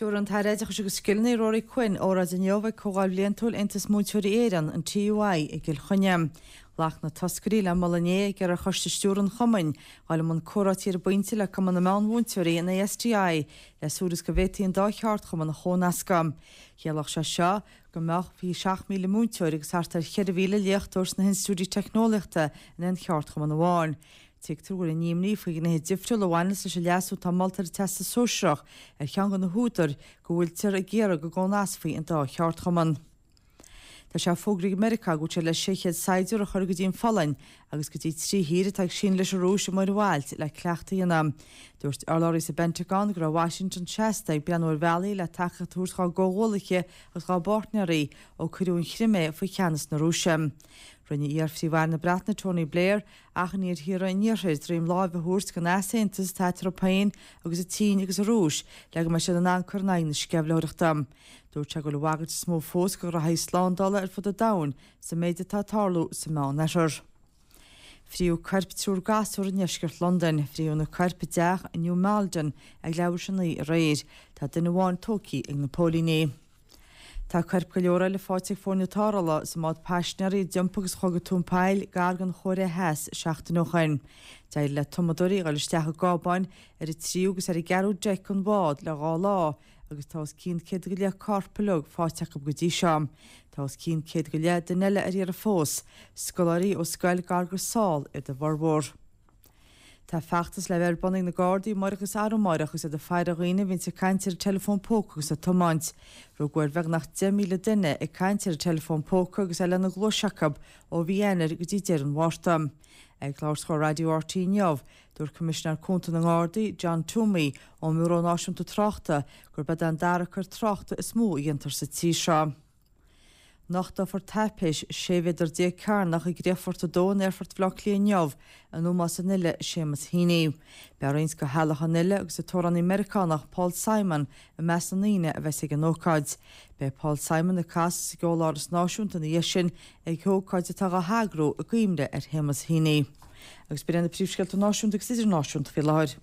Tabharfaidh an tAire Oideachais agus Scileanna, Ruairí Quinn, óráid inniu ag Comhdháil Bhliantúil Aontas Múinteoirí Éireann, an TUI, i gCill Chainnigh. Ghlac na toscairí le moladh inné ag iarraidh ar Choiste Stiúrtha an Chumainn dhul i mbun comhráití ar an bpointe le Cumann na Meán-Mhúinteoirí, an ASTI, le súil is go bhféadfaí an dá cheardchumann a chónascadh. Chiallódh sé seo go mbeadh 27,000 múinteoir agus thart ar 4,000 léachtóir sna hinstiúidí teicneolaíochta in aon cheardchumann amháin. Tuigtear go bhfuil an imní faoi ghnéithe difriúla a bhaineas leis an leasú atá molta ar an Teastas Sóisearach ar cheann de na húdair go bhfuiltear ag iarraidh go gcónascfaí an dá cheardchumann. Tá sé fógraithe ag Meiriceá go bhfuil sé le 600 saighdiúir a chur go dtí an Pholainn agus go dtí trí thír atá ag síneadh leis an Rúis i Muir Bhailt le cleachtadh a dhéanamh. Dúirt urlabhraí sa bPentagon go raibh Washington seasta ag breathnú ar bhealaí le tacaíocht a thabhairt dá gcomhghuallaithe agus dá bpáirtnéirí ó cuireadh an Chrimé faoi cheannas na Rúise. Rinne iar-Phríomh-Aire na Breataine Tony Blair achainí ar thíortha an Iarthair droim láimhe a thabhairt don easaontas atá eatarthu féin agus an tSín agus an Rúis le go mbeidh siad in ann cur in aghaidh na sceimhlitheoireachta. Dúirt sé go bhfuil an bhagairt is mó fós do ghraithí slándála ar fud an domhain sa méid atá ag tarlú sa Meánoirthear. Fríodh coirp triúr gasúr i ndeisceart Londain. Fríodh na coirp i dteach i New Malden ag leathuair tar éis a 9 aréir. Tá duine amháin tógtha ag na póilíní. Tá coirp go leor eile faighte ag foirne tarrthála sa mbád paisinéirí a d'iompaigh agus a chuaigh go tóin poill gar don Chóiré Theas seachtain ó shoin. D'éirigh le tumadóirí a dhul isteach i gcábáin ar an tríú agus ar an gceathrú deic den bhád le dhá lá agus tá os cionn 100 go leith corp uilig faighte acu go dtí seo. Tá os cionn 100 go leith duine eile ar iarraidh fós, scoláirí ó scoil gar go Seoul iad a bhformhór. Tá feachtas le bheith ar bun ag na Gardaí amáireach agus arú amáireach agus iad ag faire dhaoine a bhíonns ag caint ar an teileafón póca agus ag tiomáint. Rugadh ar bheagnach 10,000 duine ag caint ar an teileafón póca agus é lena gcluais acu ó mhí Eanáir go dtí deireadh an Mhárta. Ag labhairt do Raidió RTÉ inniu, dúirt Coimisinéir Cúnta na nGardaí, John Twomey, ón mBiúró Náisiúnta Tráchta, gurb é an dara coir tráchta is mó a dhéantar sa tír seo. Nochtófar taipéis 16 mhéadar cearnach i gCríochfort 2 in Aerfort Bhaile Átha Cliath inniu in ómós an fhile Seamus Heaney. Beidh roinnt de theaghlach an fhile agus an t-amhránaí Meiriceánach Paul Simon i measc na ndaoine a bheas ag an ócáid. Beidh Paul Simon ag casadh sa gCeoláras Náisiúnta ina dhiaidh sin ag ócáid atá á heagrú i gcuimhne ar Shéamus Heaney. Agus b'in iad na príomhscéalta náisiúnta agus idirnáisiúnta faoi láthair.